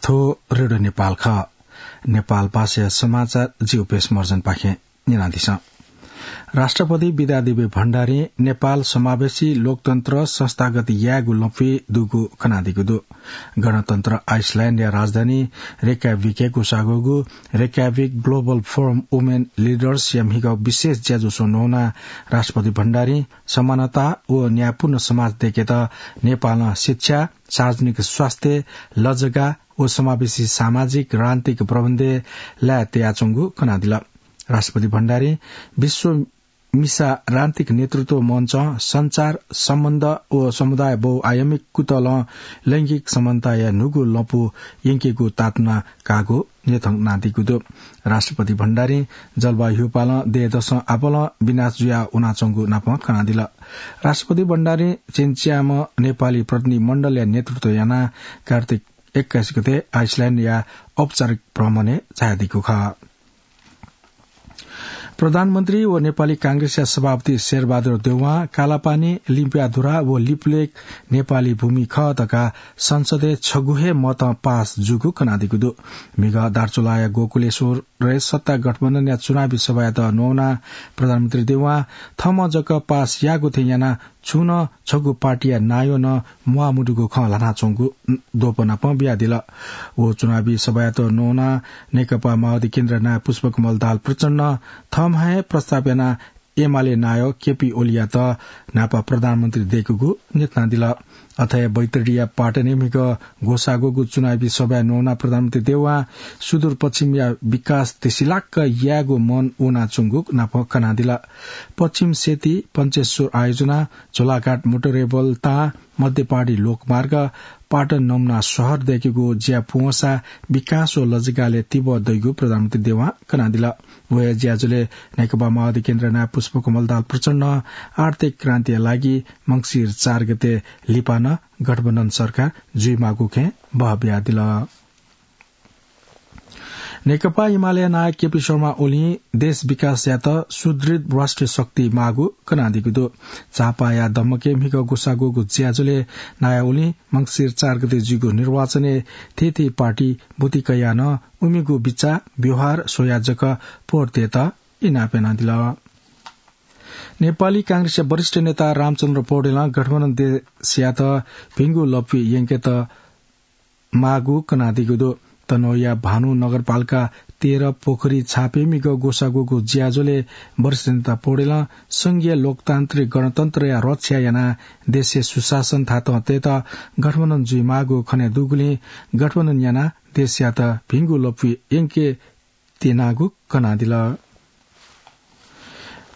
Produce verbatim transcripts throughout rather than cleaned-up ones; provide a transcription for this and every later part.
थ्व रेडियो नेपाल खः। नेपाल भाषाया समाचार जिउ पेश मर्जनपाखें न्यनादिसँ। राष्ट्रपति विद्यादेवी भण्डारीं नेपाल समावेशी लोकतन्त्र संस्थागत यायेगु लँपुइ दुगु खनादीगु दु। गणतन्त्र आइसल्याण्डया राजधानी रेक्याभिकय् ग्वसाःगु रेक्याभिक Global Forum Women Leaders या म्हिगः विशेष ज्याझ्वलय् नवानाः राष्ट्रपति भण्डारीं समानता व न्यायपूर्ण समाज दयेकेत नेपालं शिक्षा, सार्वजनिक स्वास्थ्य, लजगाः व समावेशी सामाजिक राजनीतिक प्रबन्धय् लाये तयाच्वंगु खनादिल। राष्ट्रपति भण्डारीं विश्व मिसा राजनीतिक नेतृत्व मञ्चं सञ्चार, सम्बन्ध व समुदाय बहुआयामिक कुतलं लैंगिक समानताया न्हूगु लँपु यंकेगु ताःतुना काःगु न्ह्यथनादीगु दु। राष्ट्रपति भण्डारीं जलवायु ह्यूपालं दँय्‌दसं आपालं विनाश जुया वनाच्वंगु नापं खनादिल। राष्ट्रपति भण्डारीं चिनच्याम्ह नेपाली प्रतिनिधि मण्डलया नेतृत्व यानाः कार्तिक एक्काइस गते आइसल्याण्डया औपचारिक भ्रमणय् झायादीगु खः। प्रधानमन्त्री व नेपाली कांग्रेसया सभापति शेरबहादुर देउवां कालापानी, लिम्पियाधुरा व लिपुलेक नेपाली भूमि खः धकाः संसदय् छगू हे मतं पास जूगु खनादीगु दु। म्हिगः दार्चुलाया गोकुलेश्वरय् सत्ता गठबन्धनया चुनावी सभायात नवानाः प्रधानमन्त्री देउवां थःम्हं जक पास याःगु थें यानाः छुं नं छगू पार्टीया नायः नं म्वाःमदुगु खँ ल्हानाच्वंगु द्वपनापं बियादिल। व चुनावी सभायात नवानाः नेकपा माओवादी केन्द्रया नायः पुष्पकमल दाहाल प्रचण्डं थःम्हं हे प्रस्ताव यानाः एमाले नायः केपी ओलीयात न्हापा प्रधानमन्त्री दयेकूगु न्ह्यथनादिल। अथे हे बैतडीया पाटनय् म्हिगः ग्वसाःगु चुनावी सभाय् नवानाः प्रधानमन्त्री देउवां सुदूरपश्चिमया विकास देसिलाक्क यायेगु मन वनाच्वंगु नापं खनादिल। पश्चिम सेती, पञ्चेश्वर आयोजना, झोलाघाट मोटरेबल तां, मध्यपहाडी लोकमार्ग, पाटन नमुना शहर दयेकेगु ज्या पूवंसा विकास व लजगालय् तिबः दइगु प्रधानमन्त्री देउवां खनादिल। व हे ज्याझ्वलय् नेकपा माओवादी केन्द्रया नायः पुष्पकमल दाहाल प्रचण्डं आर्थिक क्रान्तिया लागि मंसिर चार गते लिपा नं गठबन्धन सरकार जुइमाःगु खँय् बहः बियादिल। नेकपा एमालेया नायः केपी शर्मा ओलीं देश विकास यायेत सुदृढ राष्ट्रिय शक्ति माःगु खनादीगु दु। झापाया दम्मकय् म्हिगः ग्वसाःगु ज्याझ्वलय् नायः ओलीं मंसिर चार गते जुइगु निर्वाचनय् थीथी पार्टी बुति कयाः नं उमिगु बिचाः, व्यवहार स्वयाः जक भोट दयेत इनाप यानादिल। नेपाली कांग्रेसया वरिष्ठ नेता रामचन्द्र पौडेलं गठबन्धन देशयात भिंगु लँपुइ यंकेत माःगु कनादीगु दु। तनहुँया भानु नगरपालिका तेह्र पोखरी छापय् म्हिगः ग्वसाःगु ज्याझ्वलय् वरिष्ठ नेता पौडेलं संघीय लोकतान्त्रिक गणतन्त्रया रक्षा यानाः देशय् सुशासन थातं तयेत गठबन्धन जुइमाःगु खने दुगुलिं गठबन्धन यानाः देशयात भिंगु लँपुइ यंके त्यनागु कनादिल।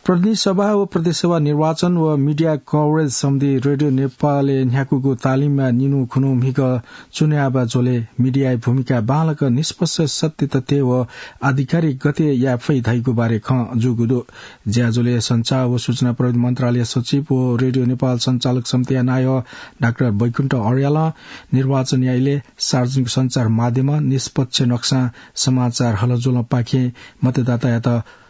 प्रतिनिधि सभा व प्रदेश सभा निर्वाचन व media coverage सम्बन्धी रेडियो नेपालय् न्ह्याकूगु तालिमया निन्हु खुन्हु म्हिगः चुनाव झ्वलय् मिडियाया भूमिका बांलाक निष्पक्ष, सत्य तथ्य व आधिकारिक गथे याये फइ धइगु बारे खँ जूगु दु। ज्याझ्वलय् सञ्चार व सूचना प्रविधि मन्त्रालय सचिव व रेडियो नेपाल सञ्चालक समितिया नायः डाक्टर बैकुण्ठ अर्यालं निर्वाचनया इलय् सार्वजनिक सञ्चार माध्यमं निष्पक्ष नक्सां समाचार हलज्वलंपाखें मतदातायात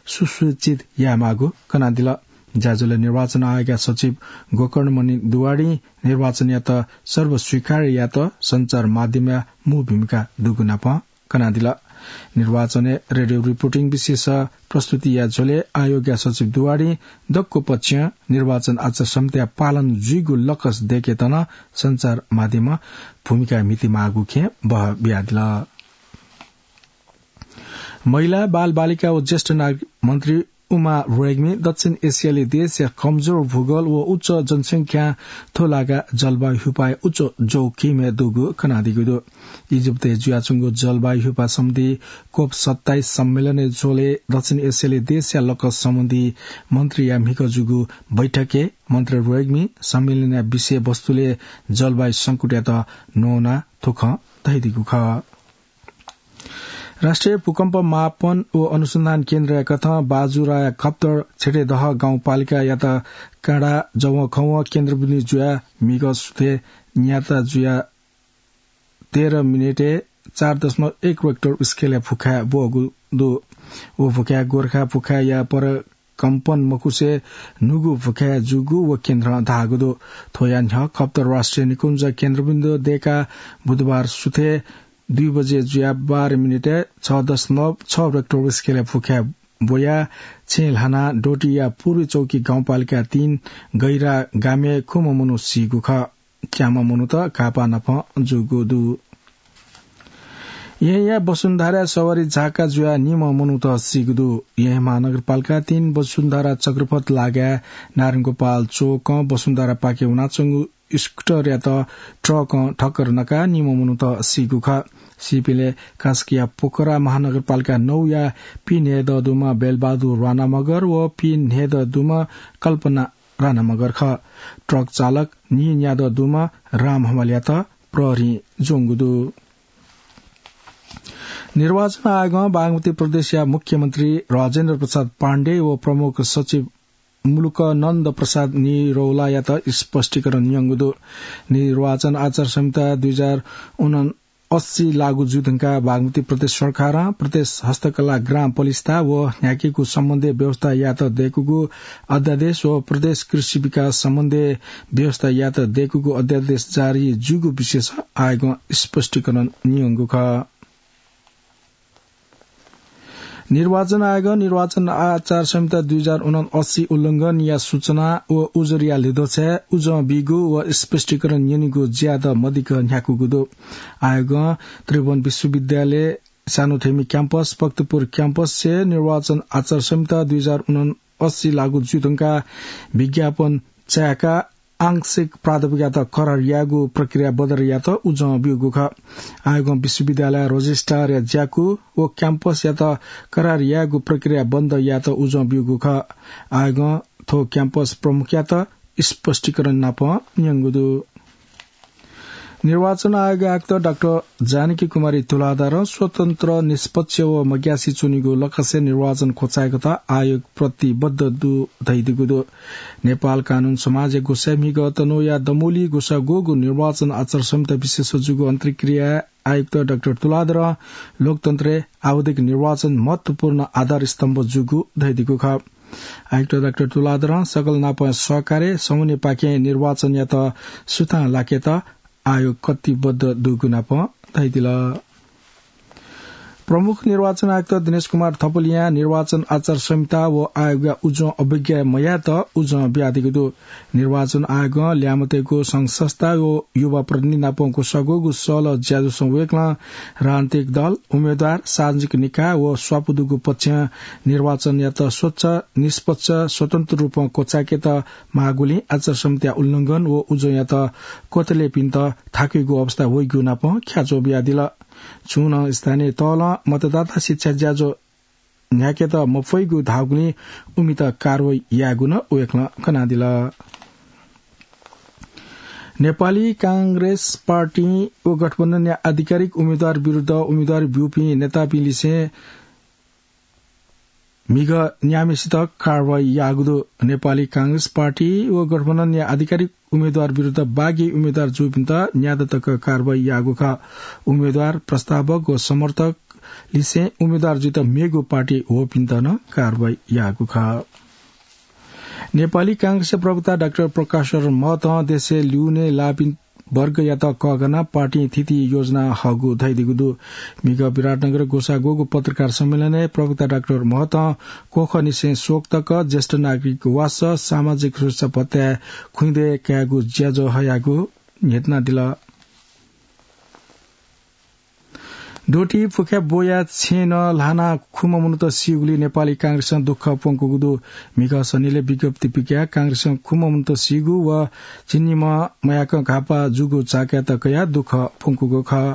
सुसूचित यायेमाःगु कनादिल। ज्याझ्वलय् निर्वाचन आयोगया सचिव गोकर्णमणि दुवाडीं निर्वाचनयात सर्वस्वीकार्य यायेत सञ्चार माध्यमया मू भूमिका दुगु नापं कनादिल। निर्वाचनय् रेडियो रिपोर्टिङ विशेष प्रस्तुतिया झ्वलय् आयोगया सचिव दुवाडीं दक्व पक्षं निर्वाचन आचार संहिता पालन जुइगु लकस दयेकेत नं सञ्चार माध्यमं भूमिका म्हितेमाःगु खँ बहः बियादिल। महिला, बालबालिका व ज्येष्ठ नागरिक मन्त्री उमा रेग्मी दक्षिण एसियाली देशया कमजोर भूगोल व उच्च जनसंख्या थ्व लागा जलवायु ह्यूपाय् उच्च जोखिमय् दुगु कनादीगु दु। इजिप्तय् जुयाच्वंगु जलवायु ह्यूपा सम्बन्धी कोप सत्ताइस सम्मेलनय् झ्वलय् दक्षिण एसियाली देशया लकस सम्बन्धी मन्त्रीया म्हिगः जूगु बैठकय् मन्त्री रेग्मी सम्मेलनया विषयवस्तुलय् जलवायु संकटयात नवानाः थ्व खँ धयादीगु खः। राष्ट्रिय भूकम्प मापन व अनुसन्धान केन्द्रया कथं बाजुराया खप्तर छेटेदह गाउँपालिकायात काँडा जवंखवं केन्द्रबिन्दु जुयाः म्हिगः सुथय् न्याता जुयाः तेह्र मिनेटय् चार दशमलव एक रेक्टर स्केलया भुखाय् ब्वःगु दु। व भुखाय् गोर्खा भुखाय्‌या पर कम्पन मखुसे न्हूगु भुखाय् जूगु व केन्द्रं धाःगु दु। थ्वया न्ह्यः खप्तर राष्ट्रिय निकुञ्ज केन्द्रबिन्दु दय्‌काः बुधबार सुथय् दुई बजे जुया बाह्र मिनेटय् छ दशमलव छ रेक्टर स्केलय् फुक्कया ब्वया छेँ ल्हाना डोटीया पूर्वी चौकी गाउँपालिका तीन गैरा गामय् खुम्ह मनू सीगु खः। च्याम्ह मनूत घाःपाः नाप जूगु दु। येँया वसुन्धरा सवारी झाका जुया निम्ह मनूत सीगु दु। येँ महानगरपालिका तीन वसुन्धरा चक्रपथ लागाय् नारायणगोपाल चोकं वसुन्धरापाखे वनाच्वंगु स्कुटरयात ट्रकं ठक्कर नकाः निम्ह मनूत सीगु खः। सीपिंलय् कास्कीया पोखरा महानगरपालिका नौया पीन्हय्दँ दुम्ह बेलबहादुर राणा मगर व पीन्हय्दँ दुम्ह कल्पना राणा मगर खः। ट्रक चालक नीन्यादँ दुम्ह राम हमालयात प्रहरीं ज्वंगु दु। निर्वाचन आयोगं बागमती प्रदेशया मुख्यमन्त्री राजेन्द्र प्रसाद पाण्डे व प्रमुख सचिव मुलुक नन्द प्रसाद निरौलायात स्पष्टीकरण न्यंगु दु। निर्वाचन आचार संहिता दुई हजार उनअस्सी लागू जुइ धुंकाः बागमती प्रदेश सरकारं प्रदेश हस्तकला ग्राम पलिस्था व न्ह्याकेगु सम्बन्धी व्यवस्था यात दय्कूगु अध्यादेश व प्रदेश कृषि विकास सम्बन्धी व्यवस्था यात दय्कूगु अध्यादेश जारी जूगु विषयस आयोगं स्पष्टीकरण न्यंगु खः। निर्वाचन आयोगं निर्वाचन आचार संहिता दुई हजार उनअस्सी उल्लंघनया सूचना व उजुरया ल्हिद्वःछाय् उजं बीगु व स्पष्टीकरण न्यनीगु ज्यादँ मदिक्क न्ह्याकूगु दु। आयोगं त्रिभुवन विश्वविद्यालय सानोथेमी क्याम्पस, भक्तपुर क्याम्पसय् निर्वाचन आचार संहिता दुई हजार उनअस्सी लागू जुइ धुंकाः विज्ञापन चाय्काः आंशिक प्राध्यापकयात करार यायेगु प्रक्रिया बन्द यात उजं ब्यूगु खः। आयोगं विश्वविद्यालय रजिस्ट्रारया ज्याकू व क्याम्पसयात करार यायेगु प्रक्रिया बन्द यात उजं ब्यूगु खः। आयोगं थ्व क्याम्पस प्रमुखयात स्पष्टीकरण नाप न्यंगु दु। निर्वाचन आयोग आयुक्त डाक्टर जानकी कुमारी तुलाधरं स्वतन्त्र, निष्पक्ष व मग्यासे च्वनीगु लक्ष्यय् निर्वाचन क्वचाय्केत आयोग प्रतिबद्ध दु धयादीगु दु। नेपाल कानून समाजया ग्वसाः म्हिगः तनहुँया दमौली ग्वसाः ग्वःगु निर्वाचन आचार संहिता विषयस जूगु अन्तर्क्रियाय् आयुक्त डाक्टर तुलाधरं लोकतन्त्रय् आवधिक निर्वाचन महत्वपूर्ण आधार स्तम्भ जूगु धयादीगु खः। आयुक्त डाक्टर तुलाधरं सकल नापं सहकार्य समन्वयपाखें निर्वाचनयात सुथां लाकेत आयोग कटिबद्ध दुगु नाप धयादिल। प्रमुख निर्वाचन आयुक्त दिनेश कुमार थपलियां निर्वाचन आचार संहिता व आयोगया उजं अवज्ञा मयायेत उजं बियादीगु दु। निर्वाचन आयोगं ल्याय्म्हतय्गु संघ संस्था व युवा प्रतिनिधि नाप ग्वसाः ग्वःगु सल्लाह ज्याझ्वलय् वय्कलं राजनीतिक दल, उम्मेदवार, सार्वजनिक निकाय व स्वापू दुगु पक्षं निर्वाचनयात स्वच्छ, निष्पक्ष, स्वतन्त्र रूपं क्वचाय्केत माःगुलिं आचार संहिता उल्लंघन व उजंयात क्वतलेपिन्त थाकुइगु अवस्था वइगु नाप ख्याच्वः बियादिल। छुं नं स्थानीय तलं मतदाता शिक्षा ज्याझ्वः न्ह्याकेत मफइगु धाःगुलिं उमित कारवाही यायेगु नं वय्कलं कनादिल। नेपाली कांग्रेस पार्टी व गठबन्धनया आधिकारिक उम्मेदवार विरुद्ध उम्मेदवारी ब्यूपिं नेतापिं लिसें म्हिगः न्याम्हेसित कारवाही याःगु दु। नेपाली कांग्रेस पार्टी व गठबन्धनया आधिकारिक उम्मेदवार विरुद्ध बागी उम्मेदवार जूपिन्त न्यादँ तक कारवाही याःगु खः। उम्मेदवार, प्रस्तावक व समर्थक लिसें उम्मेदवार जुइत मेगु पार्टी वःपिन्त नं कारवाही याःगु खः। नेपाली कांग्रेसया प्रवक्ता डाक्टर प्रकाश महतं देशय् लिउने लाःपिं वर्गयात कःघानाः पार्टीं थीथी योजना हःगु धयादीगु दु। म्हिगः विराटनगर ग्वसाः ग्वःगु पत्रकार सम्मेलनय् प्रवक्ता डाक्टर महतं क्वखःनिसें स्वख तक ज्येष्ठ नागरिक वासः, सामाजिक सुरक्षा भत्ताय् खुइँदँय् कायेगु ज्याझ्वः हयागु न्ह्यथनादिल। डोटी फुक्कया ब्वया छेँनं ल्हानाः खुम्ह मनूत सीगुलिं नेपाली कांग्रेसं दुःख प्वंकूगु दु। म्हिगः सनिलय् विज्ञप्ति पिकयाः कांग्रेसं खुम्ह मनूत सीगु व झिंनिम्ह मयाकं घाःपाः जूगु चाःकाय्त कयाः दुःख प्वंकूगु खः।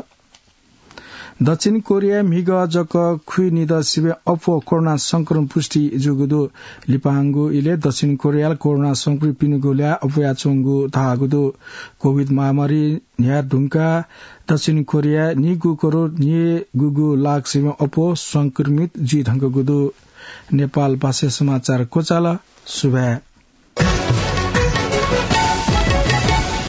दक्षिण कोरियाय् म्हिगः जक खुइनिदँ सिबें अप्वः कोरोना संक्रमण पुष्टि जूगु दु। लिपांगु इलय् दक्षिण कोरियाय् कोरोना संक्रमितपिनिगु ल्याः अप्वयाच्वंगु धाःगु दु। कोभिड महामारी न्ह्याये धुंकाः दक्षिण कोरियाय् निगू करोड निगूगू लाख सिबें अप्वः संक्रमित जुइ धुंकूगु दु। नेपाल भाषा समाचार क्वचाल। सुभाय्।